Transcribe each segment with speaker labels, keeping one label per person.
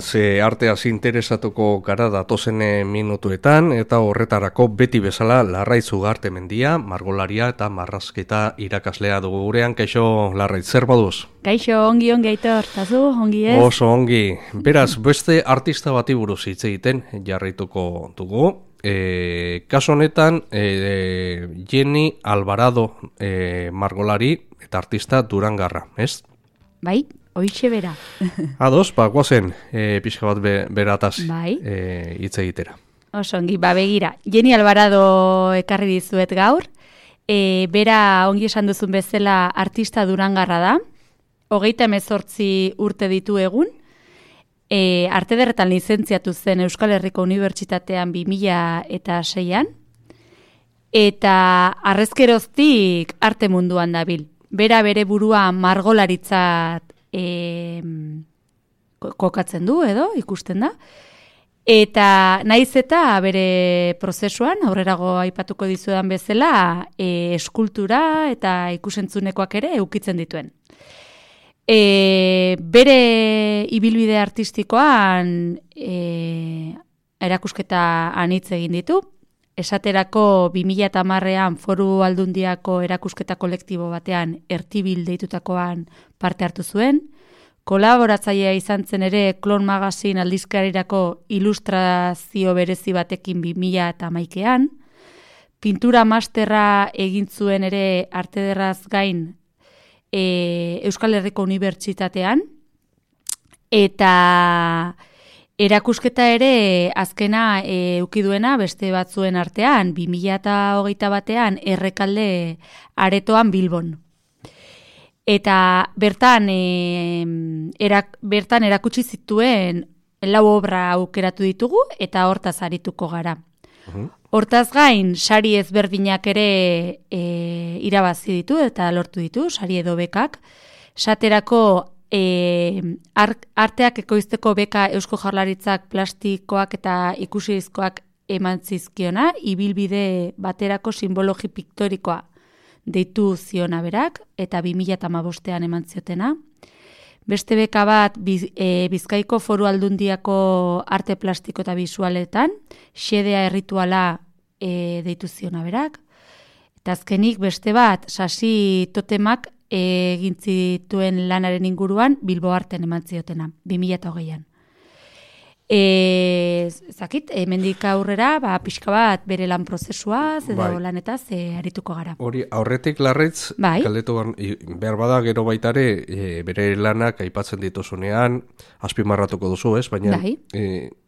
Speaker 1: ze arteaz interesatuko gara datozen minutuetan, eta horretarako beti bezala Larraitz Ugartemendia, margolaria eta marrazketa irakaslea dugu gurean. Kaixo, Larraitz, zer moduz?
Speaker 2: Kaixo, ongi Aitor, tazu, ongi ez?
Speaker 1: Oso ongi. Beraz, beste artista bati buruz hitz egiten jarraituko dugu. Kaso honetan, Jenny Alvarado margolari eta artista Durangarra, ez?
Speaker 2: Bai, hoixe bera.
Speaker 1: Ados, guazen pixka bat berataz hitz egitera.
Speaker 2: Oso ongi, begira. Jenny Alvarado ekarri dizuet gaur. Bera ongi esan duzun bezala artista Durangarra da. 38 urte ditu egun. Arte ederretan lizentziatu zen Euskal Herriko Unibertsitatean 2006an. Eta arrezkeroztik arte munduan dabil. Bera bere burua margolaritzat kokatzen du edo ikusten da. Eta naiz eta bere prozesuan, aurrerago aipatuko dizudan bezala, eskultura eta ikusentzunezkoak ere eukitzen dituen. Bere ibilbide artistikoan erakusketa anitz egin ditu. Esaterako 2010ean Foru Aldundiako erakusketa kolektibo batean Ertibil deitutakoan parte hartu zuen. Kolaboratzailea izan zen ere Klon Magazine aldizkarirako ilustrazio berezi batekin 2011ean. Pintura masterra egin zuen ere arte ederraz gain Euskal Herriko Unibertsitatean. Eta erakusketa ere azkena eukiduena beste batzuen artean 2021ean Errekalde aretoan Bilbon. Eta bertan erakutsi zituen 4 obra aukeratu ditugu eta hortaz arituko gara. Hortaz gain sari ezberdinak ere irabazi ditu eta lortu ditu, sari edo bekak. Saterako arteak ekoizteko beka Eusko Jaurlaritzak plastikoak eta ikusizkoak eman zizkiona, ibilbide baterako simbologi piktorikoa deitu ziona berak, eta 2015ean eman ziotena. Beste beka bat Bizkaiko Foru Aldundiako arte plastiko eta bisualetan, xedea errituala deitu ziona berak. Eta azkenik beste bat, sasi totemak egin zituen lanaren inguruan Bilbo Arten eman ziotena, 2020ean. Zakit, hemendik aurrera, pixka bat bere lan prozesuaz edo lanetaz arituko gara.
Speaker 1: Hori, aurretik Larraitz, galdetu behar bada gero baitare, bere lanak aipatzen dituzunean, azpimarratuko duzu, ez? Baina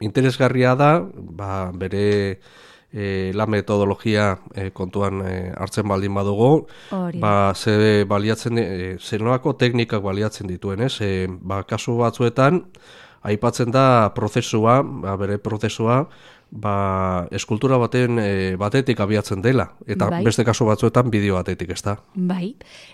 Speaker 1: interesgarria da, bere lan metodologia kontuan hartzen baldin badugu, zenolako teknikak baliatzen dituen, ez? Kasu batzuetan, aipatzen da prozesua, bere prozesua, eskultura batetik abiatzen dela, eta beste kasu batzuetan bideo batetik, ez da?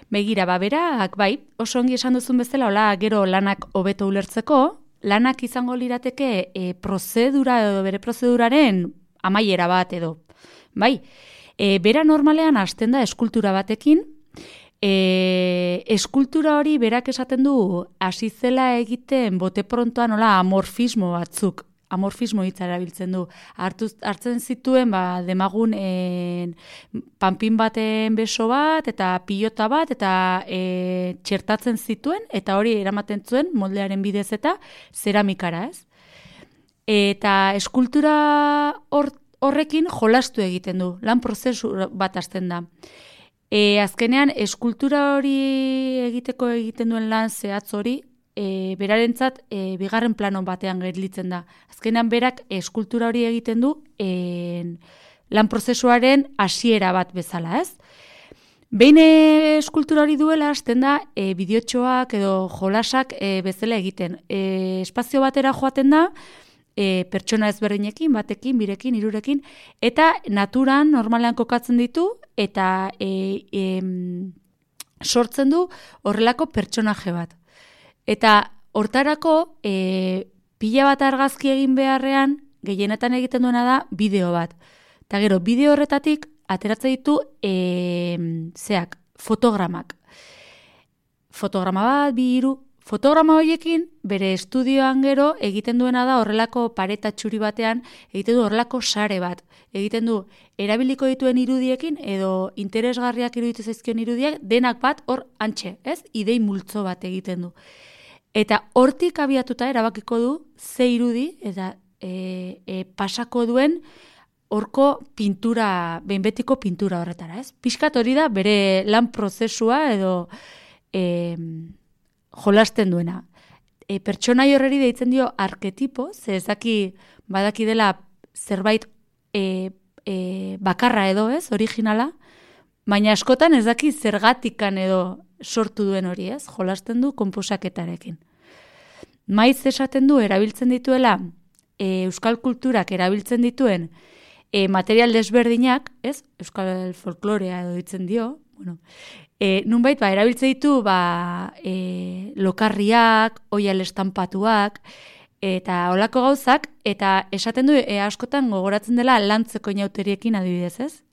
Speaker 2: Begira, berak, oso ongi esan duzun bezala, hola, gero lanak hobeto ulertzeko, lanak izango lirateke prozedura edo bere prozeduraren amaiera bat edo. Bera normalean hasten da eskultura batekin, eskultura hori berak esaten du hasi zela egiten bote prontoan amorfismo batzuk, amorfismo hitza erabiltzen du. Hartzen zituen demagun panpin baten beso bat eta pilota bat eta txertatzen zituen eta hori eramaten zuen moldearen bidez eta zeramikara, ez? Eta eskultura horrekin jolastu egiten du, lan prozesu bat hasten da. Azkenean, eskultura hori egiten duen lan zehatz hori, berarentzat bigarren plano batean gelditzen da. Azkenean, berak eskultura hori egiten du lan prozesuaren hasiera bat bezala, ez? Behin eskultura hori duela, hasten da, bideotxoak edo jolasak bezala egiten. Espazio batera joaten da, pertsona ezberdinekin, batekin, birekin, hirurekin, eta naturan normalean kokatzen ditu, eta sortzen du horrelako pertsonaje bat. Eta hortarako, pila bat argazki egin beharrean, gehienetan egiten duena da bideo bat. Eta gero, bideo horretatik ateratzen ditu fotogramak. Fotograma bat, 2, 3 fotograma horiekin, bere estudioan gero, egiten duena da horrelako pareta txuri batean, egiten du horrelako sare bat. Egiten du, erabiliko dituen irudiekin, edo interesgarriak iruditu zaizkion irudiak, denak bat hor antxe, ez? Idei multzo bat egiten du. Eta hortik abiatuta erabakiko du, ze irudi, eta pasako duen horko pintura, behinbetiko pintura horretara, ez? Pixkat hori da, bere lan prozesua edo jolasten duena. Pertsonai horreri deitzen dio arketipo, ze ezaki badaki dela zerbait bakarra edo, ez? Originala, baina askotan ez daki zergatikan edo sortu duen hori, ez? Jolasten du konposaketarekin. Maiz esaten du, erabiltzen dituela, euskal kulturak erabiltzen dituen material desberdinak, ez? Euskal folklorea edo ditzen dio, bueno, nunbait, erabiltzen ditu, lokarriak, oial estampatuak, eta olako gauzak, eta esaten du, askotan gogoratzen dela lantzeko inauteriekin adibidez, ez?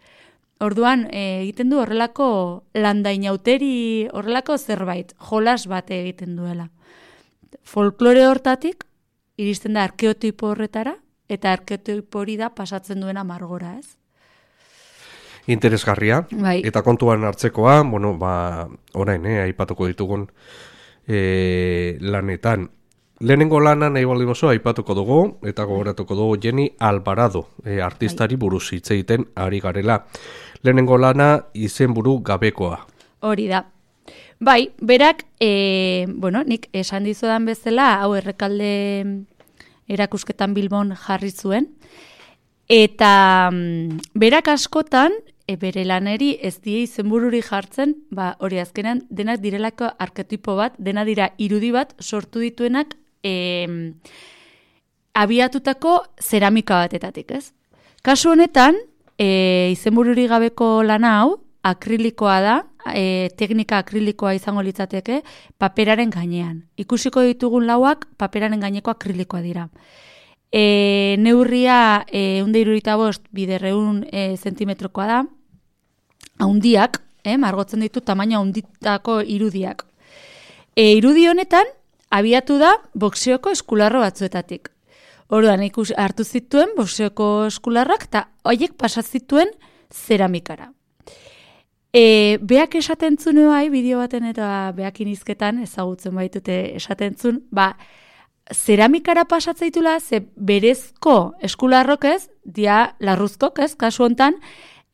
Speaker 2: Orduan, egiten du horrelako landainauteri, horrelako zerbait, jolas bat egiten duela. Folklore hortatik, iristen da arkeotipo horretara, eta arkeotipo hori da pasatzen duena margora, ez?
Speaker 1: Interesgarria, bai. Eta kontuan hartzekoa, bueno, orain, aipatuko ditugun lanetan. Lehenengo lana nahi baldin oso aipatuko dugu, eta gogoratuko dugu Jenny Alvarado, artistari buruz hitz egiten ari garela. Lehenengo lana izenburu gabekoa.
Speaker 2: Hori da. Bai, berak, nik esan dizudan bezala, hau Errekalde erakusketan Bilbon jarri zuen, eta berak askotan, bere laneri ez die izenbururi jartzen, hori azkenan denak direlako arketipo bat, dena dira irudi bat sortu dituenak abiatutako zeramika batetatik, ez? Kasu honetan, izenbururi gabeko lana hau, akrilikoa da, teknika akrilikoa izango litzateke, paperaren gainean. Ikusiko ditugun lauak paperaren gaineko akrilikoa dira. Neurria 175 biderreun zentimetrokoa da, haundiak, margotzen ditu tamaina haunditako irudiak. Irudi honetan, abiatu da boxeoko eskularro batzuetatik. Orduan, hartu zituen boxeoko eskularrak, eta horiek pasazituen zeramikara. Beak esaten zuen bai, bideo baten eta beakin izketan, ezagutzen baitute esaten zuen, zeramikara pasatzeitula, ze berezko eskularrok ez, dia larruzkok ez, kasu hontan,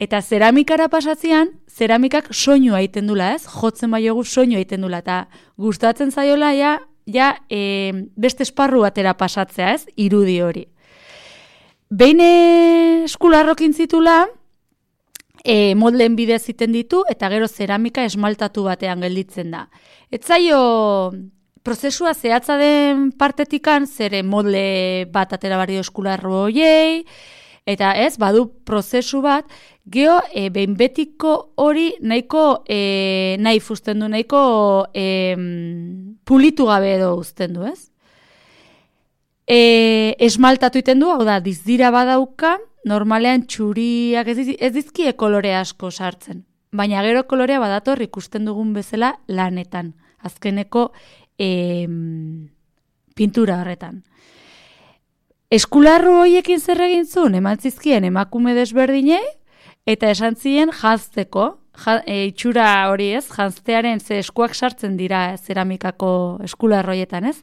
Speaker 2: eta zeramikara pasatzean, zeramikak soinua egiten dula ez, jotzen baiogu soinua egiten dula, eta gustatzen zaiola beste esparru batera pasatzea ez, irudi hori. Behin eskularrokin zitula, moldeen bidez egiten ditu, eta gero zeramika esmaltatu batean gelditzen da. Etzaio prozesua zehatza den partetikan, zere molde bat atera barrio eskularro hoiei, eta ez, badu prozesu bat, geho, behin betiko hori nahiko nahi fusten du, nahiko pulitu gabe edo uzten du, ez? Esmaltatu iten du, hau da, dizdira badauka, normalean txuriak ez dizkie kolore asko sartzen. Baina gero kolorea badator ikusten dugun bezala lanetan. Azkeneko pintura horretan. Eskularru horiekin zer egin zuen, eman zizkien emakume desberdinei, eta esan ziren janzteko, itxura hori ez, janztearen ze eskuak sartzen dira zeramikako eskularru horietan ez,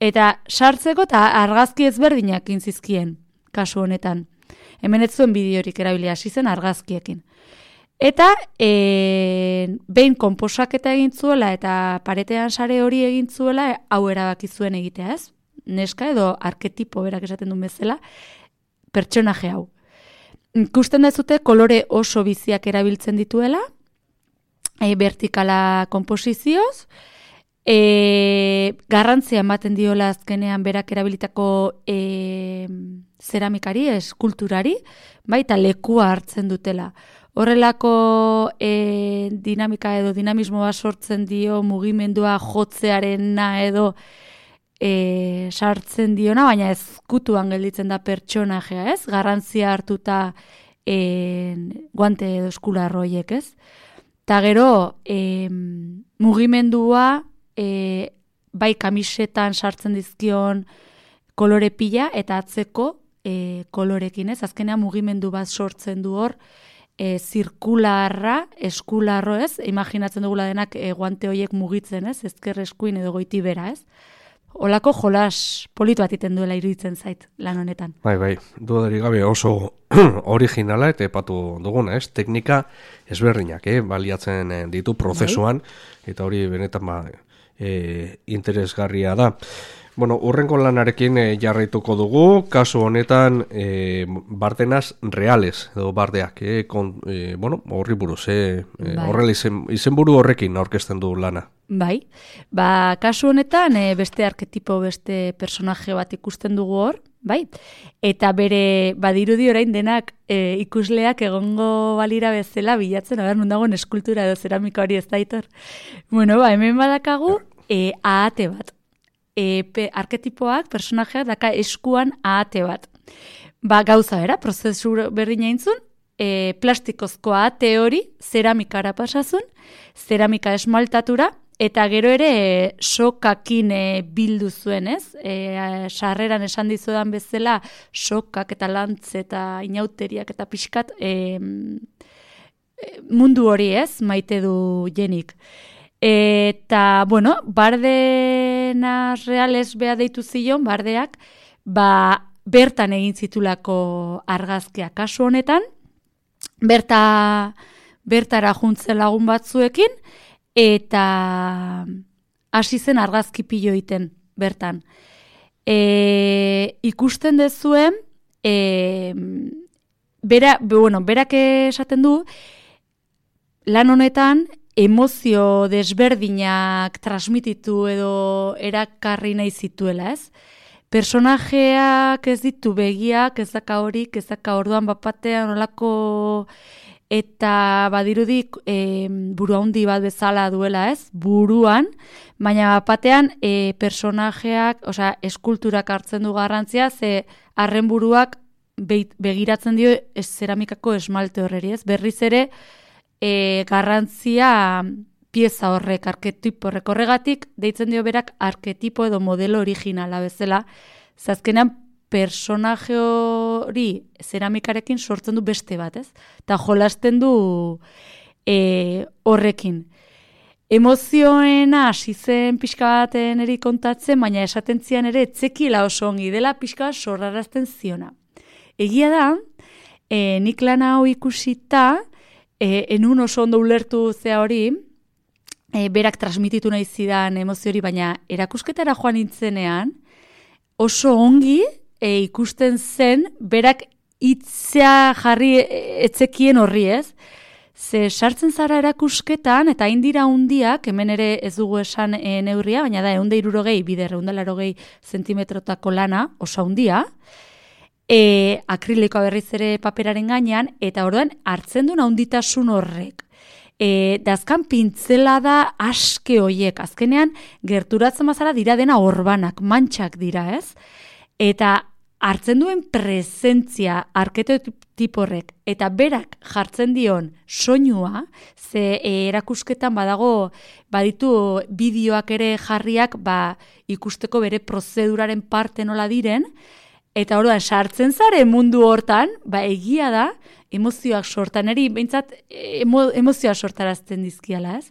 Speaker 2: eta sartzeko eta argazki ezberdinak inzizkien, kasu honetan. Hemen ez zuen bideorik erabili hasi zen argazkiekin. Eta behin konposaketa egin zuela eta paretean sare hori egin zuela hau erabaki zuen egitea ez. Neska edo arketipo berak esaten duen bezala pertsonaje hau. Ikusten dezute kolore oso biziak erabiltzen dituela, vertikala konposizioz, garrantzia ematen diola azkenean berak erabilitako zeramikari, eskulturari, baita lekua hartzen dutela. Horrelako dinamika edo dinamismo bat sortzen dio mugimendua jotzearena edo sartzen diona, baina ezkutuan gelditzen da pertsonajea, ez? Garrantzia hartuta guante edo eskularro horiek, ez? Ta gero mugimendua bai kamisetan sartzen dizkion kolore pila eta atzeko kolorekin, ez? Azkenean mugimendu bat sortzen du hor, zirkularra, eskularro, ez? Imaginatzen dugula denak guante horiek mugitzen, ez? Ezker eskuin edo goiti bera, ez? Olako jolas politu bat iten duela iruditzen zait lan honetan.
Speaker 1: Bai, dudarik gabe oso originala eta epatu duguna, ez? Teknika ezberdinak, baliatzen ditu prozesuan, eta hori benetan interesgarria da. Bueno, urrengo lanarekin jarraituko dugu, kasu honetan bardenaz reales, edo bardeak, horri buruz, horrela izenburu horrekin aurkezten du lana.
Speaker 2: Bai, kasu honetan beste arketipo, beste personaje bat ikusten dugu hor, bai, eta bere badirudi orain denak ikusleak egongo balira bezala bilatzen, non dagoen eskultura edo zeramika hori ez daitor. Bueno, hemen badakagu ahate bat. Arketipoak, personajeak, daka eskuan ahate bat. Gauza bera, prozesu berdina intzun, plastikozko ahate hori zeramikara pasazun, zeramika esmaltatura, eta gero ere sokakin bildu zuen, ez? Sarreran esan dizudan bezala sokak eta lantz eta inauteriak eta pixkat mundu hori, ez? Maite du jenik. Eta, bueno, bardenas reales beha deitu zion, bardeak, bertan egin zitulako argazkiak kasu honetan, bertara juntzen lagun batzuekin, eta hasi zen argazki pilo egiten bertan. Ikusten dezuen, berak esaten du, lan honetan, emozio desberdinak transmititu edo erakarri nahi zituela, ez? Personajeak ez ditu begiak, ez daka horik, ez daka orduan bapatean olako eta badirudik buru handi bat bezala duela, ez? Buruan, baina bapatean personajeak, eskulturak hartzen du garrantzia, ze arren buruak begiratzen dio zeramikako esmalte horreri, ez? Berriz ere, garrantzia pieza horrek, arketipo horrek horregatik, deitzen dio berak arketipo edo modelo originala bezala, zazkenean personaje hori zeramikarekin sortzen du beste bat, ez? Eta jolasten du horrekin. Emozioena hasi zen pixka baten eri kontatzen, baina esaten zian ere etzekila oso ongi dela pixka sorrarazten ziona. Egia da, nik lan hau ikusita, enun oso ondo ulertu zea hori, berak transmititu nahi zidan emozio hori, baina erakusketara joan nintzenean, oso ongi ikusten zen, berak hitzea jarri etzekien horri, ez? Ze sartzen zara erakusketan, eta indira hundiak, hemen ere ez dugu esan neurria, baina da, 160 bider, 180 zentimetrotako lana, oso hundia, akrilikoa berriz ere paperaren gainean, eta orduan hartzen duen handitasun horrek. Dazkan pintzela da aske hoiek, azkenean gerturatzen bazara dira dena orbanak, mantxak dira, ez? Eta hartzen duen presentzia arketipo horrek, eta berak jartzen dion soinua, ze erakusketan baditu bideoak ere jarriak ikusteko bere prozeduraren parte nola diren, eta orduan sartzen zare mundu hortan, egia da, emozioak sortan, eri behintzat emozioak sortarazten dizkiala, ez?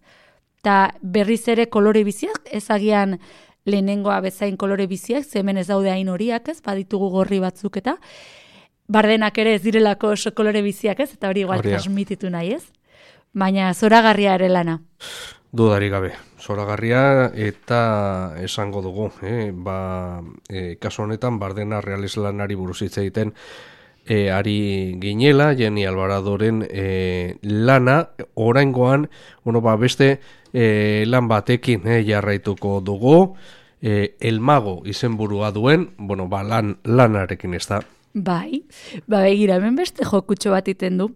Speaker 2: Eta berriz ere kolore biziak, ezagian lehenengoa bezain kolore biziak, ze hemen ez daude hain horiak, ez? Baditugu gorri batzuk eta bardenak ere ez direlako oso kolore biziak, ez? Eta hori igual transmititu nahi, ez? Baina zoragarria ere lana.
Speaker 1: Dudarik gabe, zoragarria eta esango dugu, kasu honetan bardena reales lanari buruz hitz egiten ari ginela, Jenni Albaradoren lana, oraingoan, beste lan batekin jarraituko dugu, El Mago izenburua duen, lanarekin ez da.
Speaker 2: Begira, hemen beste jokutxo bat iten du.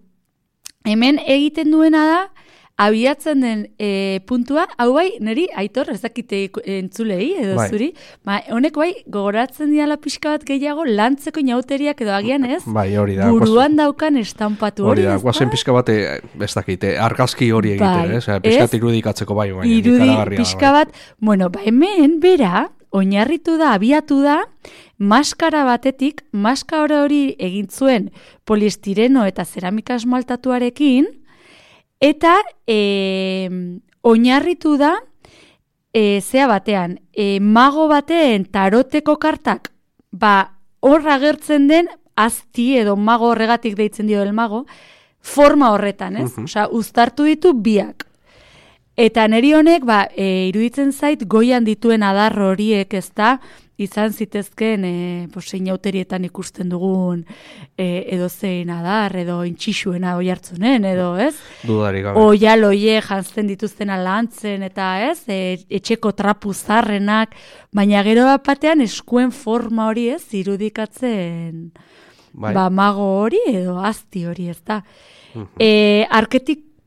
Speaker 2: Hemen egiten duena da, abiatzen den puntua, hau bai, niri, Aitor, ez dakite entzulei, edo zuri, honek bai, gogoratzen diala pixka bat gehiago, lantzeko inauteriak edo agian ez, buruan daukan estampatu hori, ez da?
Speaker 1: Guazen pixka bat, ez dakite, argazki hori egiten, pixka bat irudikatzeko bai,
Speaker 2: pixka bat, bueno, hemen, bera, oinarritu da, abiatu da, maskara batetik, maskara hori egin zuen poliestireno eta zeramika esmaltatuarekin, eta oinarritu da, zea batean, mago baten taroteko kartak, hor agertzen den, azti edo mago horregatik deitzen dio el mago, forma horretan, ez? Osea, uztartu ditu biak. Eta neri honek, iruditzen zait, goian dituen adar horiek, ez da, izan zitezken, seinauterietan ikusten dugun, edo zein adar, edo intxixuena oi hartzunen, edo, ez?
Speaker 1: Dudarik gabe.
Speaker 2: Oialoie jantzen dituzten alantzen, eta, ez? Etxeko trapu zarrenak, baina gero batean eskuen forma hori, ez? Irudikatzen, mago hori, edo azti hori, ez da?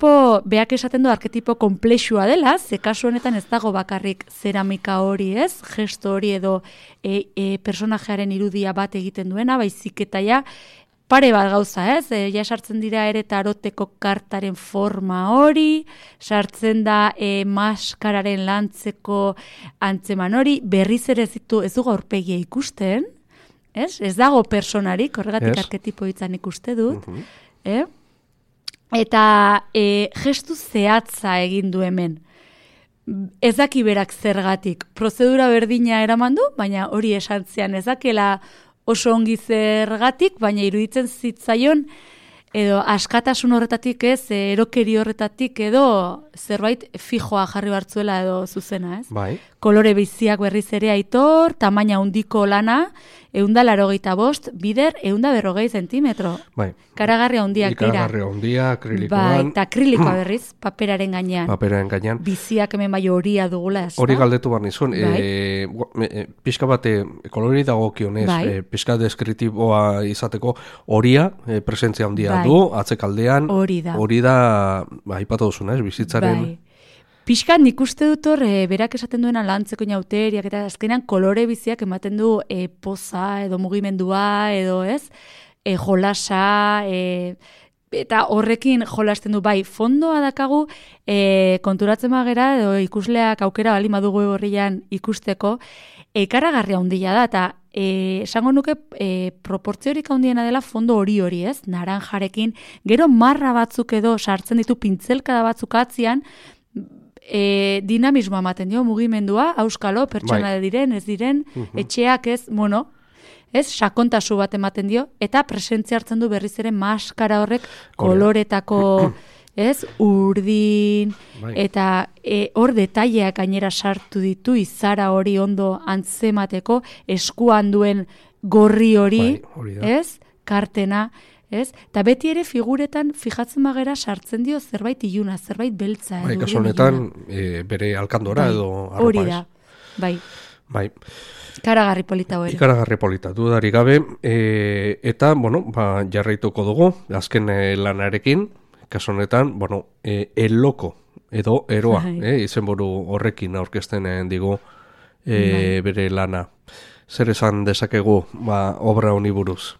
Speaker 2: Beak esaten du arketipo komplexua dela, ze kasu honetan ez dago bakarrik zeramika hori, ez? Gesto hori edo personajearen irudia bat egiten duena, baizik eta ja pare bat gauza, ez? Ja sartzen dira ere taroteko kartaren forma hori, sartzen da maskararen lantzeko antzeman hori, berriz ere ez dugu aurpegia ikusten, ez? Ez dago personarik, horregatik arketipo hitzan ikuste dut, Eta gestu zehatza egin du hemen. Ez daki berak zergatik. Prozedura berdina eraman du, baina hori esan zean ez dakela oso ongi zergatik, baina iruditzen zitzaion edo askatasun horretatik ez, erokeri horretatik edo zerbait fijoa jarri bartzuela edo zuzena, ez?
Speaker 1: Bai.
Speaker 2: Kolore biziak berriz ere Aitor, tamaina handiko lana, 185, bider 140 zentimetro.
Speaker 1: Bai.
Speaker 2: Karagarri handiak dira.
Speaker 1: Ikaragarri handia, akrilikoan.
Speaker 2: Eta akrilikoa berriz, paperaren gainean.
Speaker 1: Paperaren gainean.
Speaker 2: Biziak hemen bai horia dugula, ez da?
Speaker 1: Hori galdetu behar nizun. Pixka bat, kolori dagokionez, pixka deskritiboa izateko, horia, presentzia handia du, atzekaldean. Hori da, aipatu duzuna, ez, bizitzaren...
Speaker 2: Pixkan nik uste dut hor, berak esaten duena lantzeko inauteriak, eta azkenean kolore biziak ematen du poza, edo mugimendua, edo ez, jolasa, eta horrekin jolasten du, fondoa dakagu, konturatzen magera, edo ikusleak aukera bali madugu horrian ikusteko, ikaragarria handia da, eta esango nuke proportziorik handiena dela fondo hori, ez? Naranjarekin, gero marra batzuk edo sartzen ditu pintzelkada batzuk atzian, dinamismoa ematen dio, mugimendua, auskalo, pertsona diren, ez diren, etxeak ez, ez, sakontasu bat ematen dio, eta presentzia hartzen du berriz ere maskara horrek koloretako, ez, urdin, eta hor detaileak gainera sartu ditu, izara hori ondo antzemateko, eskuan duen gorri hori, ez, kartena, ez? Eta beti ere figuretan fijatzen magera sartzen dio zerbait iluna, zerbait beltza.
Speaker 1: Kasu honetan bere alkandora edo arropa.
Speaker 2: Hori da, bai. Ikaragarri polita hori.
Speaker 1: Ikaragarri polita, dudarik gabe. Eta, jarraituko dugu, azken lanarekin, kasu honetan, eloko edo eroa, izenburu horrekin aurkezten digu bere lana. Zer esan dezakegu obra honi buruz?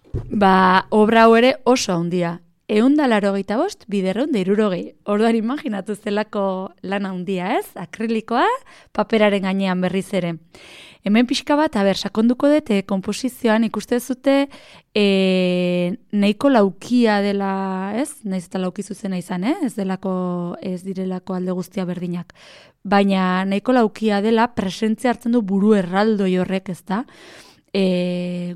Speaker 2: Obra hau ere oso handia. 185, bider 160. Orduan imaginatu zelako lan handia, ez? Akrilikoa, paperaren gainean berriz ere. Hemen pixka bat, sakonduko dut, komposizioan ikuste zute nahiko laukia dela, ez? Naiz eta lauki zuzena izan, ez direlako alde guztia berdinak. Baina nahiko laukia dela, presentzia hartzen du buru erraldoi horrek, ez da?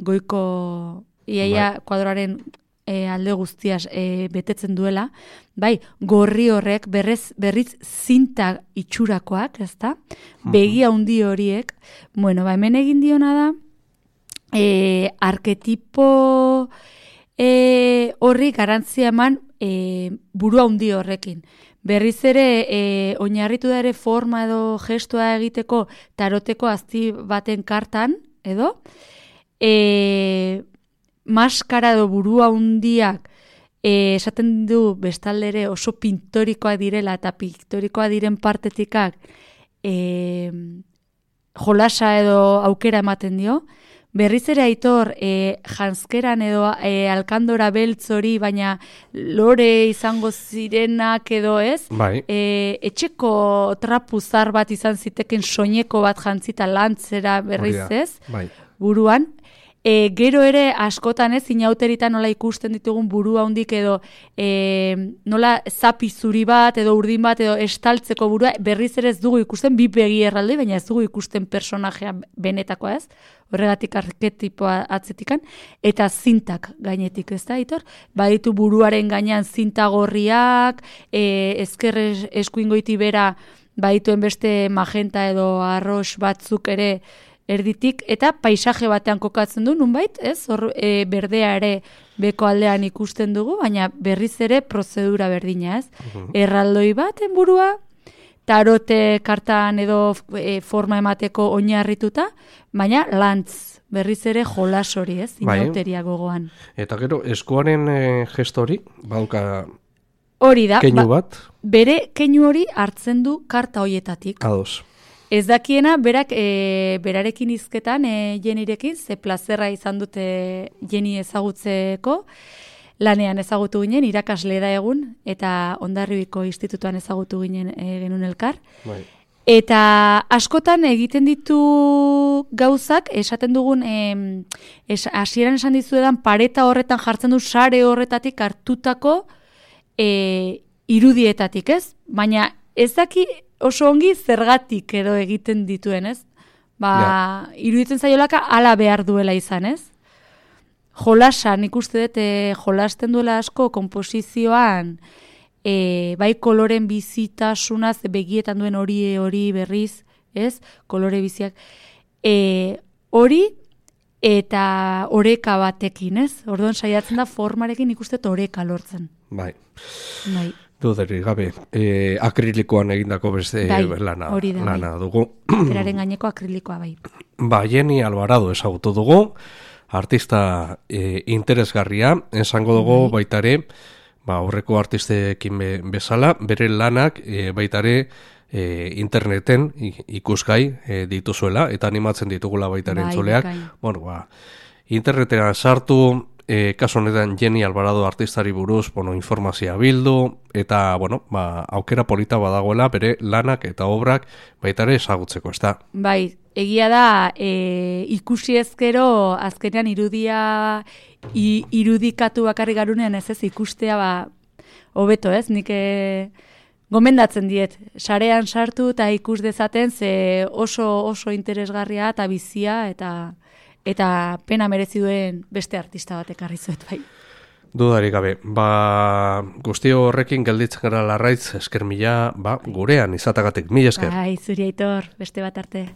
Speaker 2: Goiko iaia kuadroaren alde guztiaz betetzen duela, gorri horrek berriz zinta itxurakoak, ez da? Begi handi horiek, hemen egin diona da, arketipo horri garantzia eman buru handi horrekin. Berriz ere, oinarritu da ere forma edo gestua egiteko taroteko azti baten kartan, edo, maskara edo burua hundiak esaten du bestaldere oso pintorikoak direla eta pintorikoak diren partetikak jolasa edo aukera ematen dio. Berriz ere Aitor, janzkeran edo alkandora beltz hori, baina lore izango zirenak edo ez,
Speaker 1: bai.
Speaker 2: Etxeko trapuzar bat izan ziteken soineko bat jantzita lantzera berriz ez,
Speaker 1: bai.
Speaker 2: buruan. Gero ere askotan ez, inauteritan nola ikusten ditugun burua hundik edo nola zapi zuri bat edo urdin bat edo estaltzeko burua, berriz ere ez dugu ikusten, bi begi erralde, baina ez dugu ikusten personajea benetakoa ez, horregatik arketipoa atzetikan, eta zintak gainetik ez da, Aitor? Baditu buruaren gainean zinta gorriak, ezker eskuingoiti bera badituen beste magenta edo arroz batzuk ere erditik, eta paisaje batean kokatzen du, nunbait, ez? Hor berdea ere beko aldean ikusten dugu, baina berriz ere prozedura berdina, ez? Erraldoi baten burua, tarote kartan edo forma emateko oinarrituta, baina lantz, berriz ere jolas hori, ez? Inauteria gogoan.
Speaker 1: Eta gero, eskuaren gesto hori, bauka
Speaker 2: hori da,
Speaker 1: keinu bat?
Speaker 2: Bere keinu hori hartzen du karta hoietatik.
Speaker 1: Ados.
Speaker 2: Ez dakiena, berak berarekin hizketan, Jenirekin, ze plazerra izan dute Jeni ezagutzeko, lanean ezagutu ginen, irakasle da egun, eta Hondarribiko institutuan ezagutu ginen genuen elkar.
Speaker 1: Bai.
Speaker 2: Eta askotan egiten ditu gauzak, esaten dugun, hasieran esan dizuedan, pareta horretan jartzen du sare horretatik hartutako irudietatik, ez? Baina ez daki oso ongi zergatik edo egiten dituen, ez? Iruditzen zaiolaka hala behar duela izan, ez? Jolasan, ikuste dut, jolasten duela asko komposizioan, bai koloren bizitasunaz, begietan duen hori berriz, ez? Kolore biziak. Hori eta oreka batekin, ez? Orduan saiatzen da formarekin ikuste dut oreka lortzen.
Speaker 1: Bai.
Speaker 2: Bai.
Speaker 1: Duderik gabe, akrilikoan egindako beste lana dugu.
Speaker 2: Beraren gaineko akrilikoa bai.
Speaker 1: Jeni Alvarado ezagutu dugu, artista interesgarria, esango dugu baitare, aurreko artistekin bezala, bere lanak baitare interneten ikusgai dituzuela, eta animatzen ditugula baitare entzuleak. Internetean sartu, kasu honetan Jeni Alvarado artistari buruz informazioa bildu, eta aukera polita badagoela bere lanak eta obrak baitare ezagutzeko, ez da?
Speaker 2: Bai, egia da, ikusi ezkero azkenean irudikatu bakarrik garunean ez ikustea hobeto, ez? Nik gomendatzen diet, sarean sartu eta ikus dezaten ze oso interesgarria eta bizia eta pena merezi duen beste artista bat ekarri zuet bai.
Speaker 1: Dudarik gabe, guzti horrekin gelditzen gara larraitz, esker mila, gurean izatagatik, mila esker.
Speaker 2: Bai, zuri Aitor, beste bat arte.